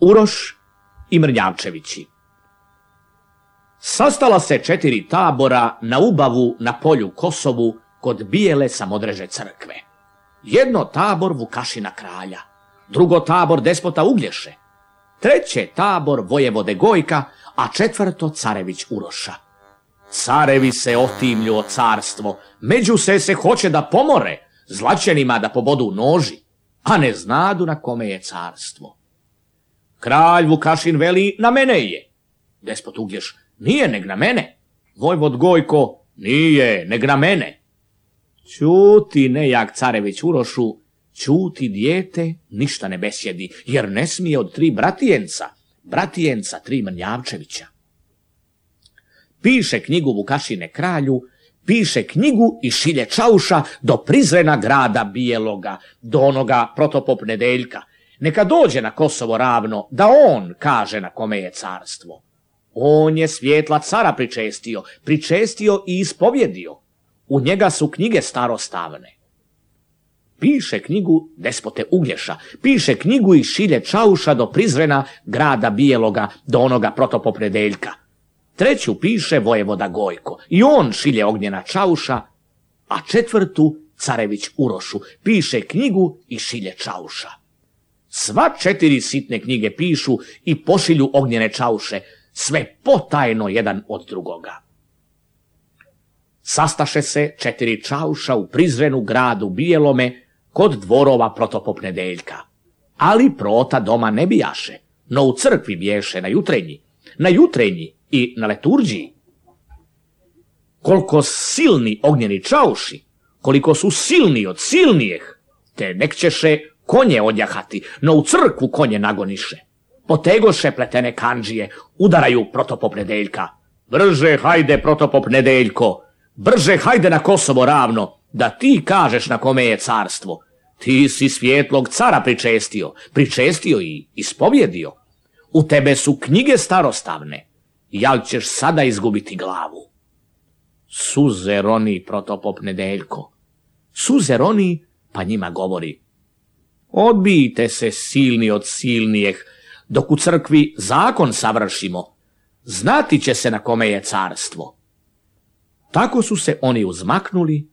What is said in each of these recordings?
Uroš i Mrnjavčevići. Sastala se 4 tabora na ubavu na polju Kosovu kod bijele Samodreže crkve. Jedno tabor Vukašina kralja, drugo tabor despota Uglješe, treće tabor vojevode Gojka, a četvrto carević Uroša. Carevi se otimlju o carstvo, među se hoće da pomore, zlaćenima da pobodu noži, a ne znadu na kome je carstvo. Kralj Vukašin veli, na mene je. Despot Uglješ, nije neg na mene. Vojvod Gojko, nije neg na mene. Ćuti nejak carević Urošu, ćuti dijete, ništa ne besjedi, jer ne smije od 3 bratijenca 3 Mrnjavčevića. Piše knjigu Vukašine kralju, piše knjigu i šilje Čauša do Prizrena grada Bijeloga, do onoga Protopop Nedeljka. Neka dođe na Kosovo ravno, da on kaže na kome je carstvo. On je svjetla cara pričestio i ispovjedio. U njega su knjige starostavne. Piše knjigu despote Uglješa, piše knjigu i šilje Čauša do Prizrena grada Bijeloga, do onoga Protopop Nedeljka. Treću piše vojevoda Gojko i on šilje Ognjena Čauša, a četvrtu carević Urošu, piše knjigu i šilje Čauša. Sva 4 sitne knjige pišu i pošilju Ognjene Čauše, sve potajno jedan od drugoga. Sastaše se 4 Čauša u Prizrenu gradu Bijelome kod dvorova Protopop Nedeljka. Ali prota doma ne bijaše, no u crkvi biješe na jutrenji i na leturđiji. Koliko silni Ognjeni Čauši, koliko su silni od silnijeh, te nek ćeše konje odjahati, no u crkvu konje nagoniše. Potegoše pletene kandžije, udaraju Protopop Nedeljka. Brže hajde Protopop Nedeljko, brže hajde na Kosovo ravno, da ti kažeš na kome je carstvo. Ti si svjetlog cara pričestio i ispovjedio. U tebe su knjige starostavne, jal ćeš sada izgubiti glavu. Suze roni Protopop Nedeljko, suze roni, pa njima govori. Odbijte se silni od silnijeh, dok u crkvi zakon savršimo, znati će se na kome je carstvo. Tako su se oni uzmaknuli,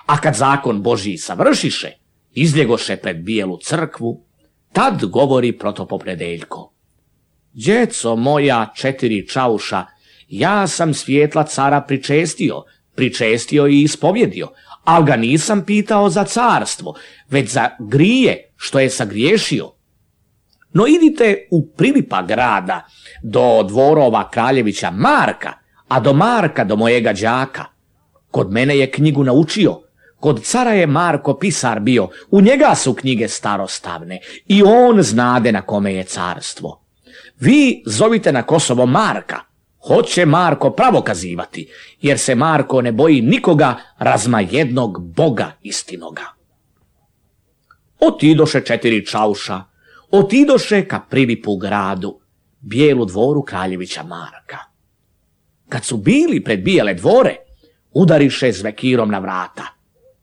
a kad zakon Božji savršiše, izljegoše pred bijelu crkvu, tad govori Protopop Nedeljko. Djeco moja 4 Čauša, ja sam svjetla cara pričestio i ispovjedio, ali ga nisam pitao za carstvo, već za grije što je sagriješio. No idite u Prilipa grada, do dvorova kraljevića Marka, a do Marka do mojega đaka. Kod mene je knjigu naučio, kod cara je Marko pisar bio, u njega su knjige starostavne i on znade na kome je carstvo. Vi zovite na Kosovo Marka, hoće Marko pravo kazivati, jer se Marko ne boji nikoga razma jednog Boga istinoga. Otidoše 4 Čauša, otidoše ka Prilipu gradu, bijelu dvoru kraljevića Marka. Kad su bili pred bijele dvore, udariše zvekirom na vrata.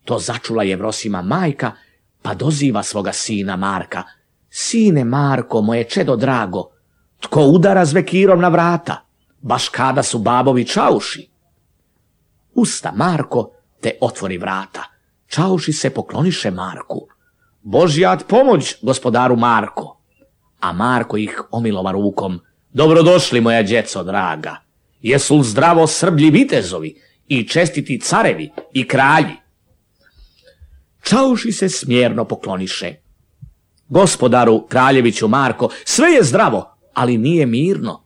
To začula Jevrosima majka, pa doziva svoga sina Marka. Sine Marko, moje čedo drago, tko udara zvekirom na vrata, baš kada su babovi Čauši? Usta Marko, te otvori vrata. Čauši se pokloniše Marku. Božjat pomoć, gospodaru Marko. A Marko ih omilova rukom. Dobrodošli, moja djeco draga. Jesu li zdravo Srblji vitezovi i čestiti carevi i kralji? Čauši se smjerno pokloniše. Gospodaru kraljeviću Marko, sve je zdravo, ali nije mirno.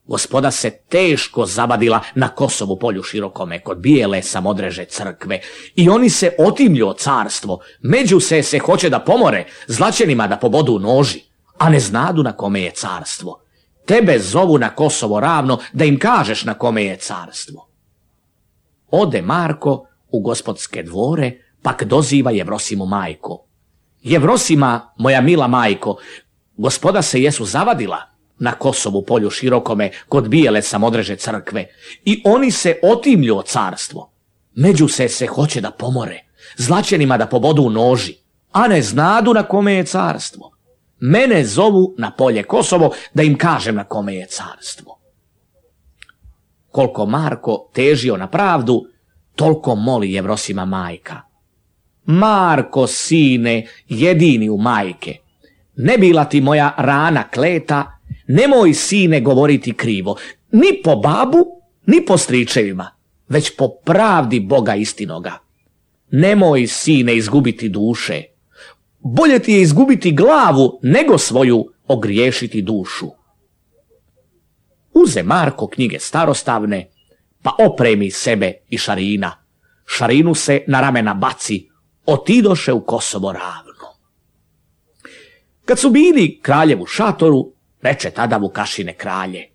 Gospoda se teško zabadila na Kosovu polju širokome kod bijele Samodreže crkve i oni se otimlju o carstvo, među se hoće da pomore, zlaćenima da pobodu noži, a ne znadu na kome je carstvo. Tebe zovu na Kosovo ravno da im kažeš na kome je carstvo. Ode Marko u gospodske dvore, pak doziva Jevrosimu majko. Jevrosima, moja mila majko, gospoda se jesu zavadila na Kosovu polju širokome kod bijele Samodreže crkve i oni se otimlju o carstvo. Među se hoće da pomore, zlaćenima da pobodu noži, a ne znadu na kome je carstvo. Mene zovu na polje Kosovo da im kažem na kome je carstvo. Koliko Marko težio na pravdu, toliko moli Jevrosima majka. Marko, sine, jedini u majke, ne bila ti moja rana kleta, nemoj, sine, govoriti krivo, ni po babu, ni po stričevima, već po pravdi Boga istinoga. Nemoj, sine, izgubiti duše. Bolje ti je izgubiti glavu, nego svoju ogriješiti dušu. Uze Marko knjige starostavne, pa opremi sebe i Šarina. Šarinu se na ramena baci, otidoše u Kosovo ravno. Kad su bili kraljevu šatoru, reče tada Vukašine kralje: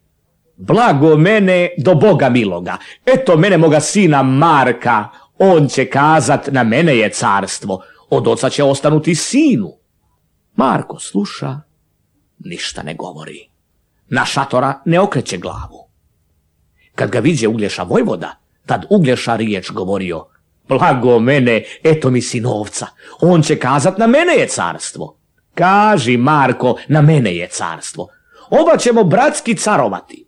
blago mene do Boga miloga, eto mene moga sina Marka, on će kazat na mene je carstvo, od oca će ostanuti sinu. Marko sluša, ništa ne govori. Na šatora ne okreće glavu. Kad ga viđe Uglješa vojvoda, tad Uglješa riječ govorio: blago mene, eto mi sinovca, on će kazat na mene je carstvo. Kaži, Marko, na mene je carstvo, oba ćemo bratski carovati.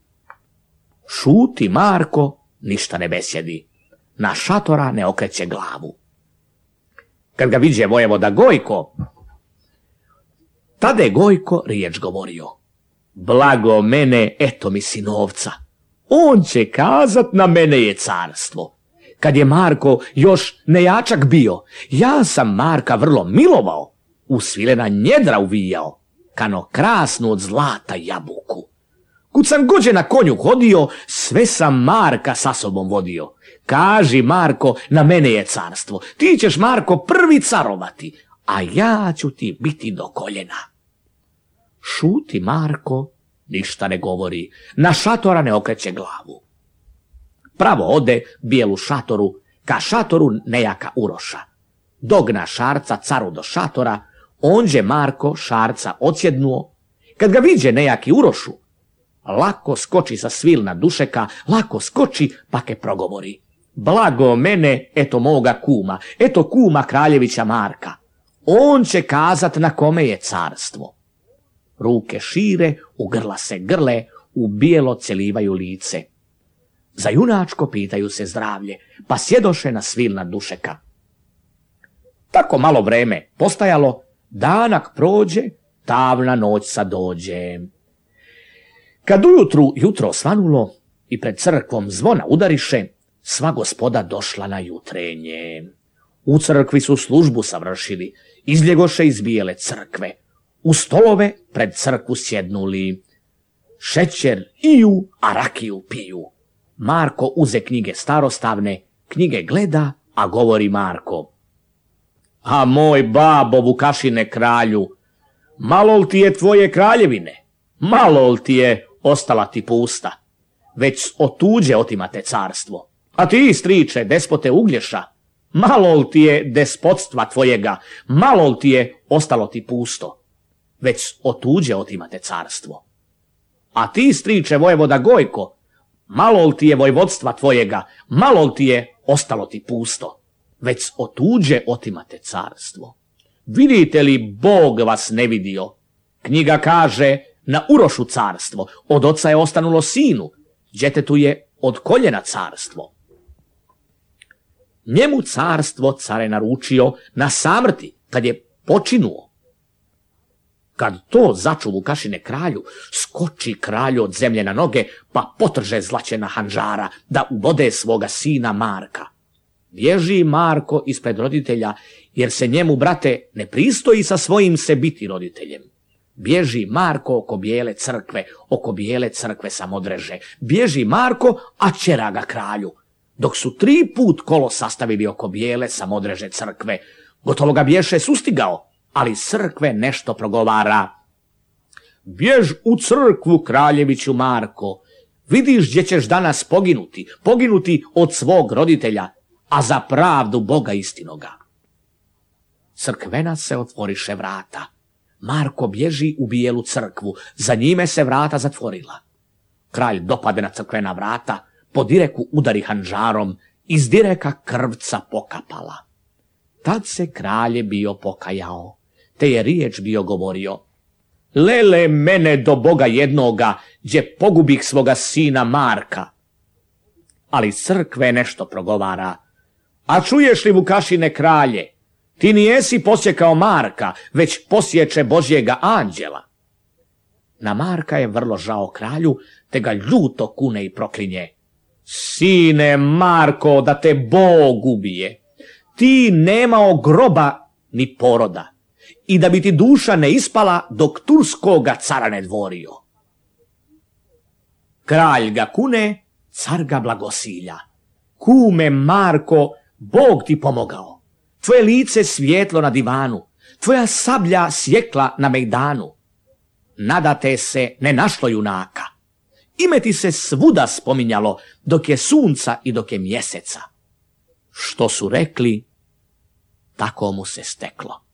Šuti Marko, ništa ne besjedi. Na šatora ne okreće glavu. Kad ga viđe vojvoda Gojko, tada je Gojko riječ govorio: blago mene, eto mi sinovca, on će kazat na mene je carstvo. Kad je Marko još nejačak bio, ja sam Marka vrlo milovao, u svilena njedra uvijao, kano krasnu od zlata jabuku. Kud sam gođe na konju hodio, sve sam Marka sa sobom vodio. Kaži, Marko, na mene je carstvo, ti ćeš, Marko, prvi carovati, a ja ću ti biti do koljena. Šuti Marko, ništa ne govori, na šatora ne okreće glavu. Pravo ode bijelu šatoru, ka šatoru nejaka Uroša. Dogna Šarca caru do šatora, onđe Marko Šarca odsjednuo. Kad ga viđe nejaki Urošu, lako skoči sa svilna dušeka, lako skoči pa ke progovori: blago mene, eto moga kuma, eto kuma kraljevića Marka, on će kazat na kome je carstvo. Ruke šire, u grla se grle, u bijelo celivaju lice. Za junačko pitaju se zdravlje, pa sjedoše na svilna dušeka. Tako malo vreme postajalo, danak prođe, tamna noć sad dođe. Kad ujutru jutro svanulo i pred crkvom zvona udariše, sva gospoda došla na jutrenje. U crkvi su službu savršili, izbjegoše iz bijele crkve. U stolove pred crkvu sjednuli, šećer iju, a rakiju piju. Marko uze knjige starostavne, knjige gleda, a govori Marko: a moj babo Vukašine kralju, malo li ti je tvoje kraljevine, malo li ti je ostala ti pusta, već od tuđe otimate carstvo. A ti, striče, despote Uglješa, malo li ti je despotstva tvojega, malo li ti je ostalo ti pusto, već od tuđe otimate carstvo. A ti, striče, vojvoda Gojko, malo li ti je vojvodstva tvojega, malo li ti je ostalo ti pusto, već od tuđe otimate carstvo. Vidite li, Bog vas ne vidio? Knjiga kaže: na Urošu carstvo, od oca je ostanulo sinu, djetetu je od koljena carstvo. Njemu carstvo care naručio na samrti, kad je počinuo. Kad to začu Vukašine kralju, skoči kralju od zemlje na noge, pa potrže zlaćena hanđara da ubode svoga sina Marka. Bježi Marko ispred roditelja, jer se njemu, brate, ne pristoji sa svojim se biti roditeljem. Bježi Marko oko bijele crkve samodreže. Bježi Marko, a čera ga kralju. Dok su 3 put kolo sastavili oko bijele samodreže crkve, gotovo ga bješe sustigao, ali crkve nešto progovara: bjež u crkvu, kraljeviću Marko, vidiš gdje ćeš danas poginuti od svog roditelja, a za pravdu Boga istinoga. Crkvena se otvoriše vrata. Marko bježi u bijelu crkvu, za njime se vrata zatvorila. Kralj dopade na crkvena vrata, po direku udari hanđarom, iz direka krvca pokapala. Tad se kralj bio pokajao, te je riječ bio govorio: Lele mene do Boga jednoga, gdje pogubih svoga sina Marka. Ali crkve nešto progovara. A čuješ li, Vukašine kralje, ti nijesi posjekao Marka, već posječe Božjega anđela. Na Marka je vrlo žao kralju, te ga ljuto kune i proklinje. Sine Marko, da te Bog ubije. Ti nemao groba ni poroda. I da bi ti duša ne ispala dok turskoga cara ne dvorio. Kralj ga kune, car ga blagosilja. Kume Marko, Bog ti pomogao. Tvoje lice svjetlo na divanu, tvoja sablja sjekla na mejdanu. Nadate se ne našlo junaka. Ime ti se svuda spominjalo, dok je sunca i dok je mjeseca. Što su rekli, tako mu se steklo.